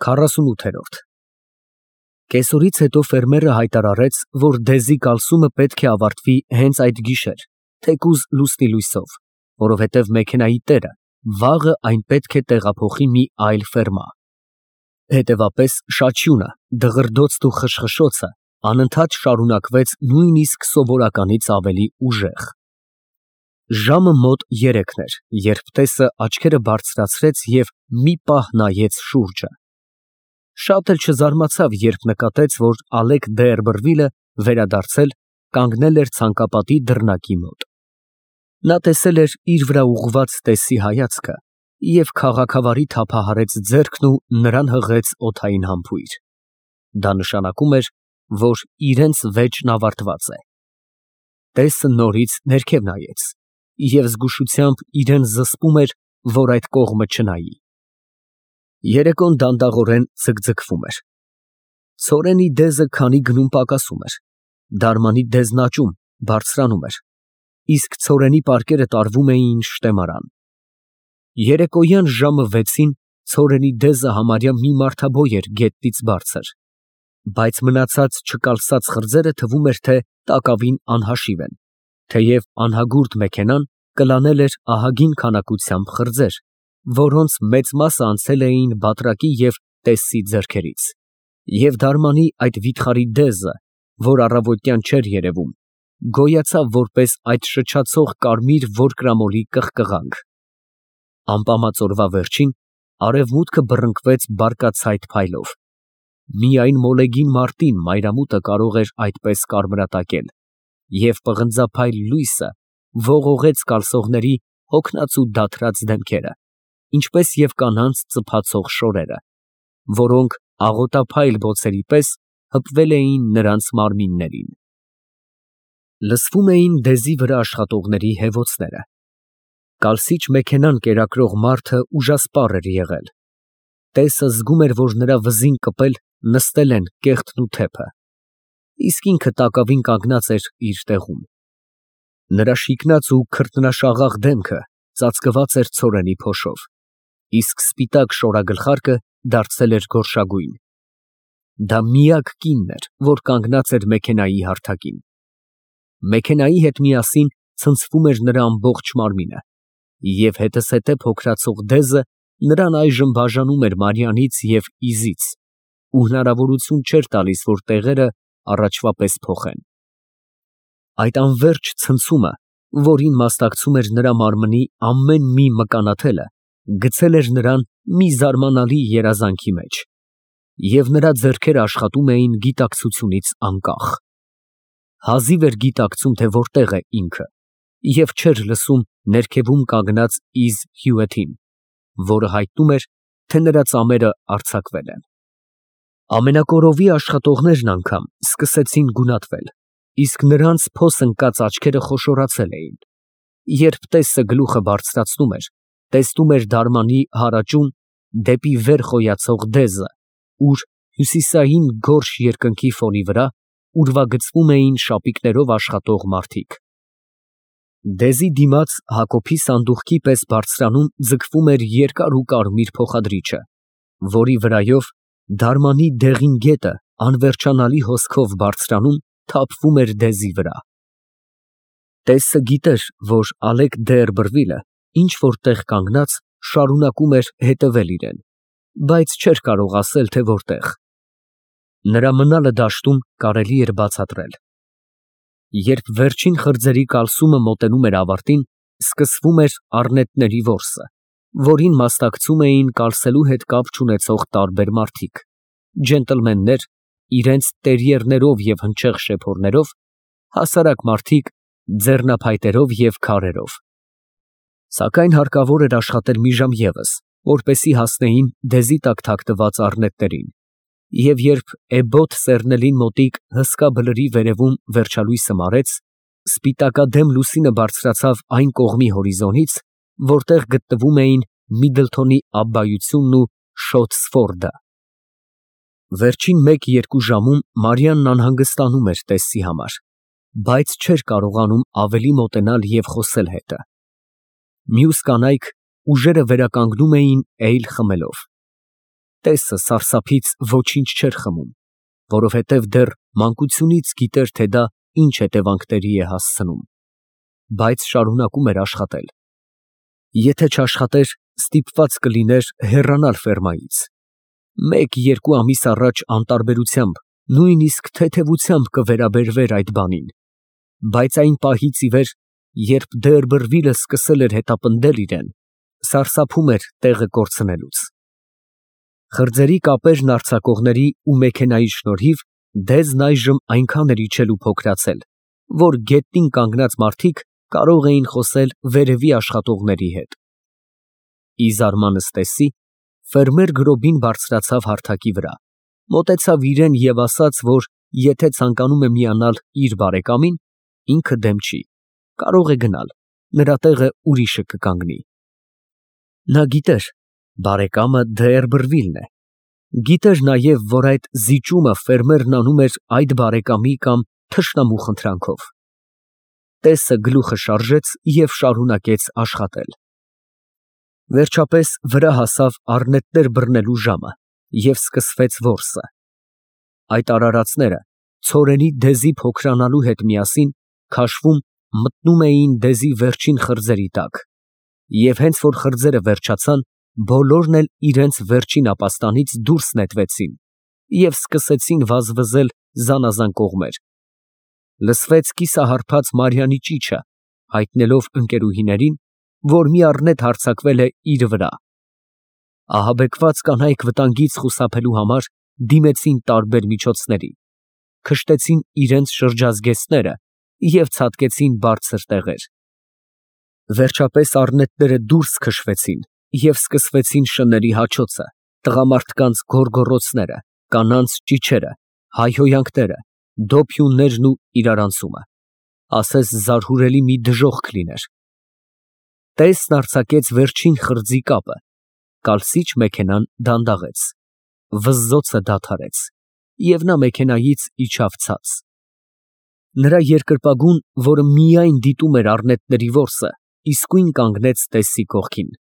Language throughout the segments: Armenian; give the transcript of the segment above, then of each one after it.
48-րդ Կեսօրից հետո ֆերմերը հայտարարեց, որ Դեզի կալսումը պետք է ավարտվի հենց այդ գիշեր, թեկուզ լուսնի լույսով, որովհետև մեքենայի տերը վաղը այն պետք է տեղափոխի մի այլ ֆերմա։ Հետևապես շաչյունը, դղրդոցն ու խշխշոցը անընդհատ շարունակվեց նույնիսկ սովորականից ավելի ուժեղ։ Ժամը մոտ 3-ն էր, երբ տեսը աչքերը բարձրացրեց և մի պահ նայեց շուրջը։ Շատ էլ չզարմացավ, երբ նկատեց, որ Ալեկ Դերբրվիլը վերադարձել կանգնել էր ցանկապատի դռնակի մոտ։ Նա տեսել էր իր վրա ուղղված տեսի հայացքը և քաղաքավարի թափահարեց ձեռքն ու նրան հղեց օդային համբույր։ Դա նշանակում էր, որ իրենց վեճն ավարտված է։ Տեսը նորից ներքև նայեց և զգուշությամբ իրան զսպում էր, որ այդ կողմը չնայի։ Երեկոն դանդաղորեն ձգձգվում էր։ Ցորենի դեզը քանի գնում պակասում էր, դարմանի դեզն աճում, բարձրանում էր, իսկ ցորենի պարկերը տարվում էին շտեմարան։ Երեկոյան ժամը 6-ին ցորենի դեզը համարյա մի մարդաբոյ էր գետնից բարձր, բայց մնացած չկալսած խրձերը թվում էր, թե տակավին անհաշիվ են, թեև անհագուրդ մեքենան կլանել էր ահագին քանակությամբ խրձեր, որոնց մեծ մասը անցել էին բատրակի և տեսսի ձեռքերից, և դարմանի այդ վիթխարի դեզը, որ առավոտյան չէր երևում, գոյացավ որպես այդ շչացող կարմիր որկրամոլի կղկղանք։ Ամպամած օրվա վերջին արևմուտքը բռնկվեց բարկացայտ փայլով։ Միայն մոլեգին մարտին մայրամուտը կարող էր այդպես կարմրատակել, և պղնձափայլ լույսը ողողեց կալսողների հոգնած ու դադարած դեմքերը, ինչպես և կանանց ծփացող շորերը, որոնք աղոտափայլ բոցերի պես հպվել էին նրանց մարմիններին։ Լսվում էին դեզի վրա աշխատողների հևոցները։ Կալսիչ մեքենան կերակրող մարդը ուժասպառ էր եղել։ Տեսը զգում էր, որ նրա վզին կպել նստել են կեղտն ու թեփը, իսկ ինքը տակավին կանգնած էր իր տեղում։ Նրա շիկնած ու քրտնաշաղախ դեմքը ծածկված էր ցորենի փոշով, իսկ սպիտակ շորագլխարկը դարձել էր գորշագույն։ Դա միակ կինն էր, որ կանգնած էր մեքենայի հարթակին։ Մեքենայի հետ միասին ցնցվում էր նրա ամբողջ մարմինը, և հետզհետե փոքրացող դեզը նրան այժմ բաժանում էր Մարիամից և Իզից, ու հնարավորություն չէր տալիս, որ տեղերը առաջվա պես փոխեն։ Այդ անվերջ ցնցումը, որին մասնակցում էր նրա մարմնի ամեն մի մկանաթելը, գցել էր նրան մի զարմանալի երազանքի մեջ, և նրա ձեռքերը աշխատում էին գիտակցությունից անկախ։ Հազիվ էր գիտակցում, թե որտեղ է ինքը, և չէր լսում ներքևում կանգնած Իզ Հյուեթին, որը հայտնում էր, թե նրա ծամերը արձակվել են։ Ամենակորովի աշխատողներն անգամ սկսեցին գունատվել, իսկ նրանց փոս ընկած աչքերը խոշորացել էին։ Երբ տեսը գլուխը բարձրացնում էր, տեսնում էր դարմանի հարաճուն դեպի վեր խոյացող դեզը, ուր հյուսիսային գորշ երկնքի ֆոնի վրա ուրվագծվում էին շապիկներով աշխատող մարդիկ։ Դեզի դիմաց Հակոբի սանդուղքի պես բարձրանում ձգվում էր երկար ու կարմիր փոխադրիչը, որի վրայով դարմանի դեղին գետը անվերջանալի հոսքով բարձրանում թափվում էր դեզի վրա։ Տեսը գիտեր, որ Ալեկ Դերբրվիլը ինչ֊որ տեղ կանգնած շարունակում էր հետևել իրան, բայց չէր կարող ասել, թե որտեղ։ Նրա մնալը դաշտում կարելի էր բացատրել։ Երբ վերջին խրձերի կալսումը մոտենում էր ավարտին, սկսվում էր առնետների որսը, որին մասնակցում էին կալսելու հետ կապ չունեցող տարբեր մարդիկ, ջենտլմեններ իրենց տերիերներով և հնչեղ շեփորներով, հասարակ մարդիկ ձեռնափայտերով և քարերով։ Սակայն հարկավոր էր աշխատել մի ժամ ևս, որպեսզի հասնեին դեզի տակ թաքնված առնետներին, և երբ էբոթ սեռնելին մոտիկ հսկա բլրի վերևում վերջալույսը մարեց, սպիտակադեմ լուսինը բարձրացավ այն կողմի հորիզոնից, որտեղ գտնվում էին Միդլթոնի աբբայությունն ու Շոտսֆորդը։ Վերջին 1-2 ժամում Մարիամն անհանգստանում էր տեսի համար, բայց չէր կարողանում ավելի մոտենալ և խոսել հետը։ Մյուս կանայք ուժերը վերականգնում էին էյլ խմելով։ Տեսը սարսափից ոչինչ չէր խմում, որովհետև դեռ մանկությունից գիտեր, թե դա ինչ հետևանքների է հասցնում, բայց շարունակում էր աշխատել։ Եթե չաշխատեր, ստիպված կլիներ հեռանալ ֆերմայից։ 1-2 ամիս առաջ անտարբերությամբ, նույնիսկ թեթևությամբ կվերաբերվեր այդ բանին, բայց այն պահից ի վեր, երբ Դերբրվիլը սկսել էր հետապնդել իրեն, սարսափում էր տեղը կորցնելուց։ Խրձերի կապերն արձակողների ու մեքենայի շնորհիվ Դեզն այժմ այնքան էր իջել ու փոքրացել, որ գետնին կանգնած մարդիկ կարող էին խոսել վերևի աշխատողների հետ։ Ի զարմանս Տեսի, ֆերմեր Գրոբին բարձրացավ հարթակի վրա, մոտեցավ իրեն և ասաց, որ եթե ցանկանում է միանալ իր բարեկամին, ինքը դեմ չի, կարող է գնալ, նրա տեղը ուրիշը կկանգնի։ Նա գիտեր, բարեկամը Դերբրվիլն է, գիտեր նաև, որ այդ զիջումը ֆերմերն անում էր այդ բարեկամի կամ թշնամու խնդրանքով։ Տեսը գլուխը շարժեց և շարունակեց աշխատել։ Վերջապես վրա հասավ առնետներ բռնելու ժամը և սկսվեց որսը։ Այդ արարածները ցորենի դեզի փոքրանալու հետ միասին քաշվում մտնում էին դեզի վերջին խրձերի տակ, և հենց որ խրձերը վերջացան, բոլորն էլ իրենց վերջին ապաստանից դուրս նետվեցին և սկսեցին վազվզել զանազան կողմեր։ Լսվեց կիսահարբած Մարիանի ճիչը, հայտնելով ընկերուհիներին, որ մի առնետ հարձակվել է իր վրա։ Ահաբեկված կանայք վտանգից խուսափելու համար դիմեցին տարբեր միջոցների, քշտեցին իրենց շրջազգեստները և ցատկեցին բարձր տեղեր։ Վերջապես առնետները դուրս քշվեցին և սկսվեցին շների հաչոցը, տղամարդկանց գոռգոռոցները, կանանց ճիչերը, հայհոյանքները, դոփյուններն ու իրարանցումը, ասես զարհուրելի մի դժոխք լիներ։ Տեսն արձակեց վերջին խրձի կապը, կալսիչ մեքենան դանդաղեց, վզզոցը դադարեց, և նա մեքենայից իջավ ցած։ Նրա երկրպագուն, որը միայն դիտում էր առնետների որսը, իսկույն կանգնեց Տեսի կողքին։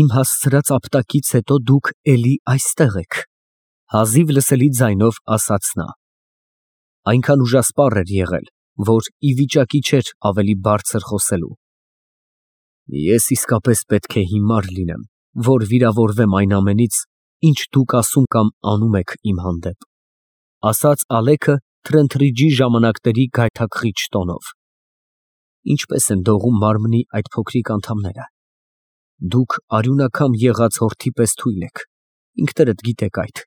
Իմ հասցրած ապտակից հետո դուք էլի այստեղ եք, հազիվ լսելի ձայնով ասաց նա։ Այնքան ուժասպառ էր եղել, որ ի վիճակի չէր ավելի բարձր խոսելու։ Ես իսկապես պետք է հիմար լինեմ, որ վիրավորվեմ այն ամենից, ինչ դուք ասում կամ անում եք իմ հանդեպ, ասաց Ալեքը թրընթռիջի ժամանակների գայթակղիչ տոնով։ Ինչպես են դողում մարմնի այդ փոքրիկ անդամները։ Դուք արյունակամ եղած հորթի պես թույլ եք, ինքներդ գիտեք այդ,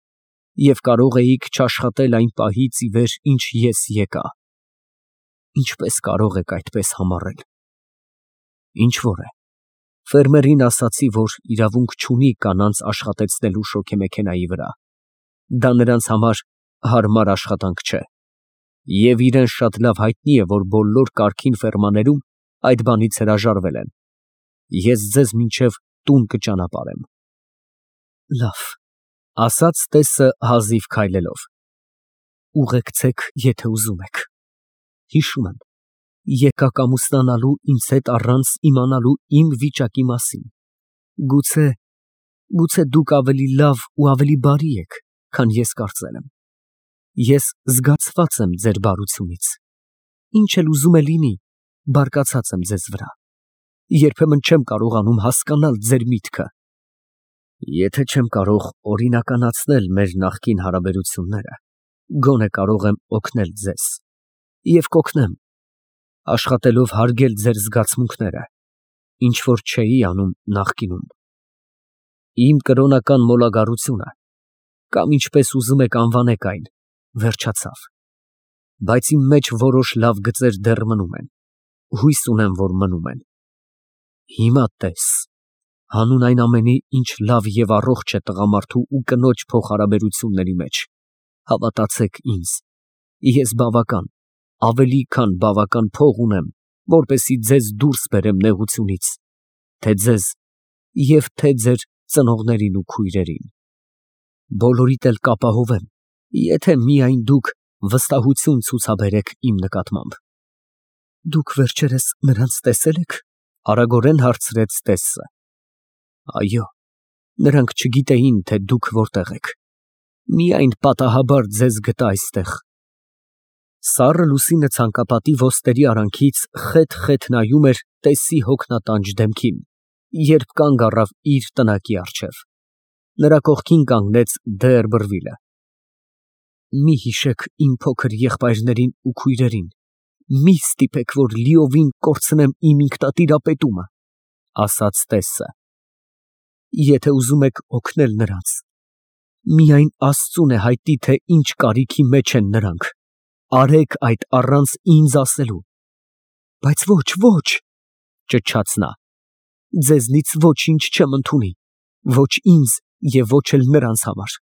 և կարող էիք չաշխատել այն պահից ի վեր, ինչ ես եկա։ Ինչպես կարող եք այդպես համառել։ Ինչ որ է, ֆերմերին ասացի, որ իրավունք չունի կանանց աշխատեցնելու շոգեմեքենայի վրա։ Դա նրանց համար հարմար աշխատանք չէ։ Եվ իրեն շատ լավ հայտնի է, որ բոլոր կարգին ֆերմաներում այդ բանից հրաժարվել են։ Ես ձեզ մինչև տուն կճանապարհեմ։ Լավ, ասաց Տեսը հազիվ քայլելով։ Ուղեկցեք, եթե ուզում եք։ Հիշում եմ, եկաք ամուսնանալու ինձ հետ առանց իմանալու իմ վիճակի մասին։ Գուցե դուք ավելի լավ ու ավելի բարի եք, քան ես կարծել եմ։ Ես զգացված եմ ձեր բարությունից։ Ինչ էլ ուզում է լինի, բարկացած եմ ձեզ վրա։ Երբեմն չեմ կարողանում հասկանալ ձեր միտքը։ Եթե չեմ կարող օրինականացնել մեր նախկին հարաբերությունները, գոնե կարող եմ օգնել ձեզ։ Եվ կօգնեմ, աշխատելով հարգել ձեր զգացմունքները, ինչ որ չէի անում նախկինում։ Իմ կրոնական մոլագարությունը, կամ ինչպես ուզում եք անվանեք այն, վերջացավ, բայց իմ մեջ որոշ լավ գծեր դեռ մնում են, հույս ունեմ, որ մնում են։ Հիմա տես, հանուն այն ամենի, ինչ լավ և առողջ է տղամարդու ու կնոջ փոխհարաբերությունների մեջ, հավատացեք ինձ, ես բավական, ավելի քան բավական փող ունեմ, որպեսզի ձեզ դուրս բերեմ նեղությունից, թե ձեզ և թե ձեր ծնողներին ու քույրերին։ Բոլորիդ էլ կապահովեմ, եթե միայն դուք վստահություն ցուցաբերեք իմ նկատմամբ։ Դուք վերջերս նրանց տեսե՞լ եք, արագորեն հարցրեց Տեսը։ Այո, Նրանք չգիտեին, թե դուք որտեղ եք։ Միայն պատահաբար ձեզ գտա այստեղ։ Սառը լուսինը ցանկապատի ոսկերի արանքից խեթ նայում էր Տեսսի հոգնատանջ դեմքին, երբ կանգ առավ իր տնակի առջև։ Նրա կողքին կանգնեց Դեյր Բրվիլը։ Մի հիշեք իմ փոքր եղբայրներին ու քույրերին, մի ստիպեք, որ լիովին կորցնեմ իմ ինքնատիրապետումը, ասաց Տեսսը։ Եթե ուզում եք օգնել նրանց, միայն Աստծուն է հայտնի, թե ինչ կարիքի մեջ են նրանք, արեք այդ առանց ինձ ասելու։ Բայց ոչ, ճչաց նա, ձեզնից ոչինչ չեմ ընդունի, ոչ ինձ և ոչ էլ նրանց համար։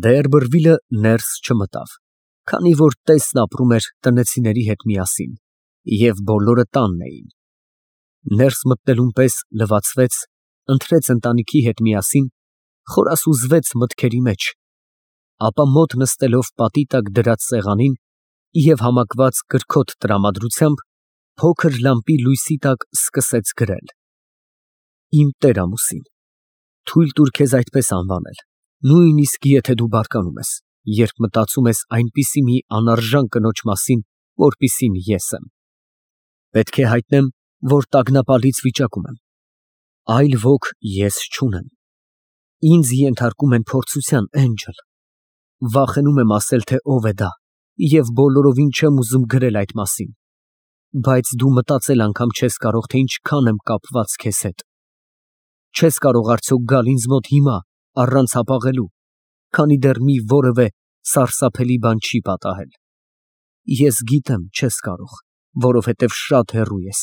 Դեյր Բրվիլը ներս չմտավ, քանի որ Տեսսն ապրում էր տնեցիների հետ միասին, և բոլորը տանն էին։ Ներս մտնելուն պես լվացվեց, ընթրեց ընտանիքի հետ միասին, խորասուզվեց մտքերի մեջ, ապա մոտ նստելով պատի տակ դրած սեղանին և համակված կրքոտ տրամադրությամբ, փոքր լամպի լույսի տակ սկսեց գրել. Իմ տեր֊ամուսին, թույլ տուր քեզ այդպես անվանել, նույնիսկ եթե դու բարկանում ես, երբ մտածում ես այնպիսի մի անարժան կնոջ մասին, որպիսին ես եմ։ Պետք է հայտնեմ, որ տագնապալից վիճակում եմ, այլ ոք ես չունեմ։ Ինձ ենթարկում են փորձության, Էնջել։ Վախենում եմ ասել, թե ով է դա, և բոլորովին չեմ ուզում գրել այդ մասին, բայց դու մտածել անգամ չես կարող, թե ինչքան եմ կապված քեզ հետ։ Չես կարող արդյոք գալ ինձ մոտ հիմա, առանց հապաղելու, քանի դեռ մի որևէ սարսափելի բան չի պատահել։ Ես գիտեմ, չես կարող, որովհետև շատ հեռու ես։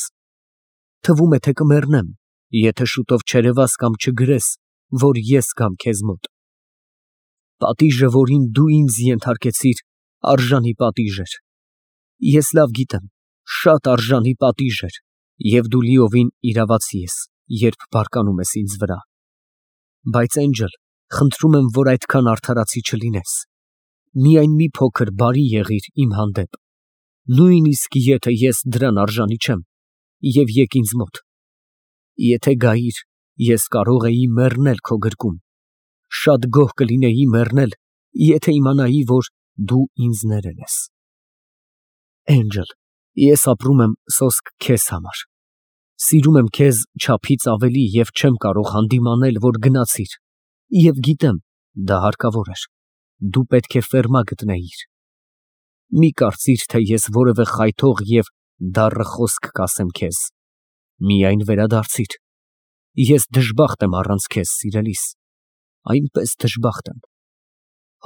Թվում է, թե կմեռնեմ, եթե շուտով չերևաս կամ չգրես, որ ես գամ քեզ մոտ։ Պատիժը, որին դու ինձ ենթարկեցիր, արժանի պատիժ էր։ Ես լավ գիտեմ, շատ արժանի պատիժ էր, և դու լիովին իրավացի ես, երբ բարկանում ես ինձ վրա։ Բայց, Էնջել, խնդրում եմ, որ այդքան արդարացի չլինես։ Միայն մի փոքր բարի եղիր իմ հանդեպ, նույնիսկ եթե ես դրան արժանի չեմ, և եկ ինձ մոտ։ Եթե գայիր, ես կարող էի մեռնել քո գրկում, շատ գոհ կլինեի մեռնել, եթե իմանայի, որ դու ինձ ներել ես։ Էնջել, ես ապրում եմ սոսկ քեզ համար։ Սիրում եմ քեզ չափից ավելի և չեմ կարող հանդիմանել, որ գնացիր, և գիտեմ, դա հարկավոր էր, դու պետք է ֆերմա գտնեիր։ Մի կարծիր, թե ես որևէ խայթող և դառը խոսք կասեմ քեզ, միայն վերադարձիր։ Ես դժբախտ եմ առանց քեզ, սիրելիս, այնպես դժբախտ եմ։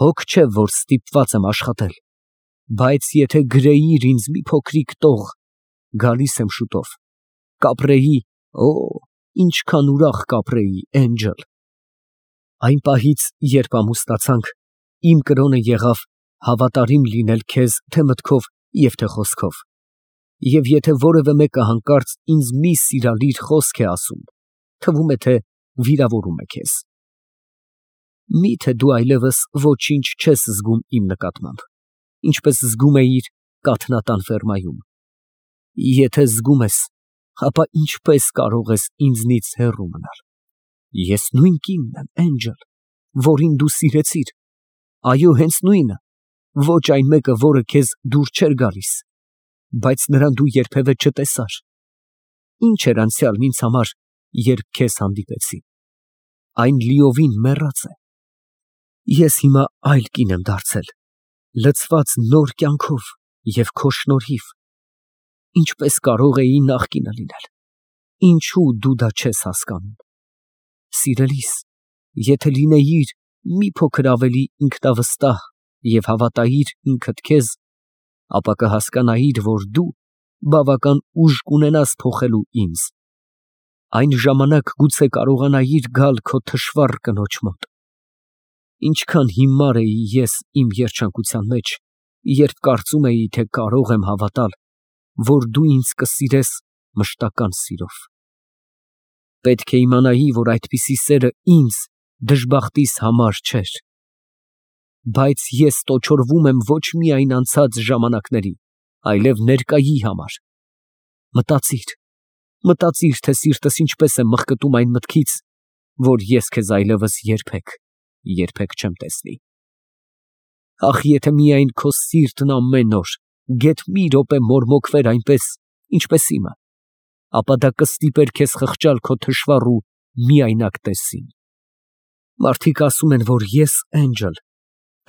Հոգ չէ, որ ստիպված եմ աշխատել, բայց եթե գրեիր ինձ մի փոքրիկ տող, գալիս եմ շուտով, կապրեի, ինչքան ուրախ կապրեի, Էնջել։ Այն պահից, երբ ամուսնացանք, իմ կրոնը եղավ հավատարիմ լինել քեզ թե մտքով և թե խոսքով, և եթե որևէ մեկը հանկարծ ինձ մի սիրալիր խոսք է ասում, թվում է, թե վիրավորում է քեզ։ Մի՞թե դու այլևս ոչինչ չես զգում իմ նկատմամբ, ինչպես զգում էիր Կաթնատան ֆերմայում։ Եթե զգում ես, ապա ինչպես կարող ես ինձնից հեռու մնալ։ Ես նույն կինն եմ, Էնջել, որին դու սիրեցիր, այո, հենց նույնը, ոչ այն մեկը, որը քեզ դուր չէր գալիս, բայց նրան դու երբևէ չտեսար։ Ինչ էր անցյալն ինձ համար, երբ քեզ հանդիպեցի։ Այն լիովին մեռած է։ Ես հիմա այլ կին եմ դարձել, լցված նոր կյանքով և քո շնորհիվ։ Ինչպես կարող էի նախկինը լինել։ Ինչու դու դա չես հասկանում։ Սիրելիս, եթե լինեիր մի փոքր ավելի ինքնավստահ և հավատայիր ինքդ քեզ, ապա կհասկանայիր, որ դու բավական ուժ կունենաս փոխելու ինձ։ Այն ժամանակ գուցե կարողանայիր գալ քո թշվառ կնոջ մոտ։ Ինչքան հիմար էի ես իմ երջանկության մեջ, երբ կարծում էի, թե կարող եմ հավատալ, որ դու ինձ կսիրես մշտական սիրով։ Պետք է իմանայի, որ այդպիսի սերը ինձ դժբախտիս համար չէր։ Բայց ես տոչորվում եմ ոչ միայն անցած ժամանակների, այլև ներկայի համար։ Մտածիր, թե սիրտս ինչպես է մղկտում այն մտքից, որ ես քեզ այլևս երբեք չեմ տեսնի։ Ախ, եթե միայն քո սիրտն ամեն օր գեթ մի րոպե մորմոքվեր այնպես, ինչպես իմը, ապա դա կստիպեր քեզ խղճալ քո թշվառ ու միայնակ տեսին։ Մարդիկ ասում են, որ ես Էնջել,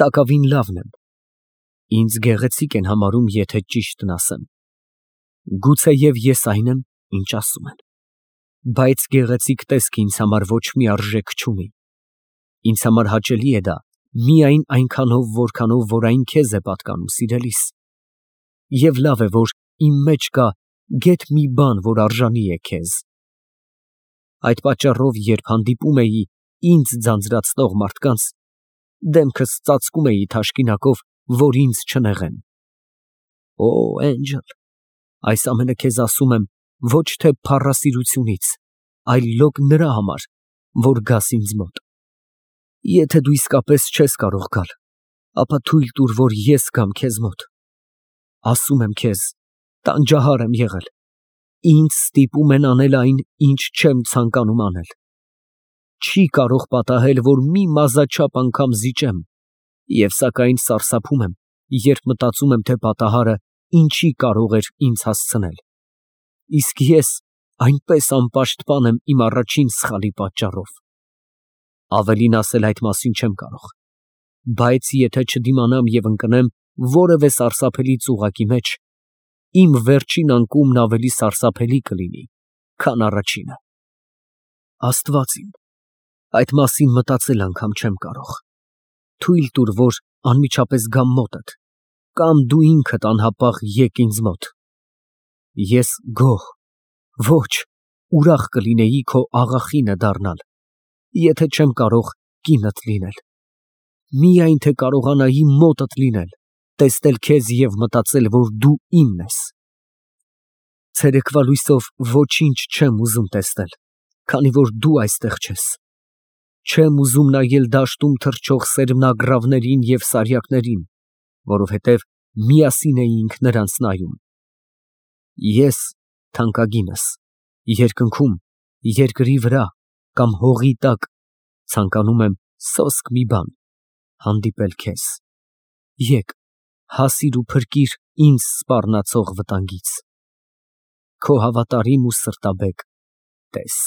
տակավին լավն եմ։ Ինձ գեղեցիկ են համարում, եթե ճիշտն ասեմ։ Գուցեև ես այն եմ, ինչ ասում են։ Բայց գեղեցիկ տեսքը ինձ համար ոչ մի արժեք չունի։ Ինձ համար հաճելի է դա միայն այնքանով, որքանով որ այն քեզ է պատկանում, սիրելիս։ Եվ լավ է, որ իմ մեջ կա գեթ մի բան, որ արժանի է քեզ։ Այդ պատճառով, երբ հանդիպում էի ինձ ձանձրացնող մարդկանց, դեմքս ծածկում էի թաշկինակով, որ ինձ չնեղեն։ Օ, Էնջել, այս ամենը քեզ ասում եմ ոչ թե փառասիրությունից, այլ լոկ նրա համար, որ գաս ինձ մոտ։ Եթե դու իսկապես չես կարող գալ, ապա թույլ տուր, որ ես գամ քեզ մոտ։ Ասում եմ քեզ, տանջահար եմ եղել։ Ինձ ստիպում են անել այն, ինչ չեմ ցանկանում անել։ Չի կարող պատահել, որ մի մազաչափ անգամ զիջեմ, և սակայն սարսափում եմ, երբ մտածում եմ, թե պատահարը ինչի կարող էր ինձ հասցնել։ Իսկ ես այնպես անպաշտպան եմ իմ առաջին սխալի պատճառով։ Ավելին ասել այդ մասին չեմ կարող, բայց եթե չդիմանամ և ընկնեմ որևէ սարսափելի ծուղակի մեջ, իմ վերջին անկումն ավելի սարսափելի կլինի, քան առաջինը։ Աստված իմ, այդ մասին մտածել անգամ չեմ կարող։ Թույլ տուր, որ անմիջապես գամ մոտդ, կամ դու ինքդ անհապաղ եկ ինձ մոտ։ Ես գոհ, ոչ, ուրախ կլինեի քո աղախինը դառնալ, եթե չեմ կարող կինդ լինել։ Միայն թե կարողանայի մոտդ լինել, տեսնել քեզ և մտածել, որ դու իմն ես։ Ցերեկվա լույսով ոչինչ չեմ ուզում տեսնել, քանի որ դու այստեղ չես։ Չեմ ուզում նայել դաշտում թռչող սերմնագրավներին և սարյակներին, որովհետև միասին էինք նրանց նայում։ Ես, թանկագինս, երկնքում, երկրի վրա կամ հողի տակ ցանկանում եմ սոսկ մի բան, հանդիպել քեզ։ Եկ, հասիր ու փրկիր ինձ սպառնացող վտանգից։ Քո հավատարիմ ու սրտաբեկ տես։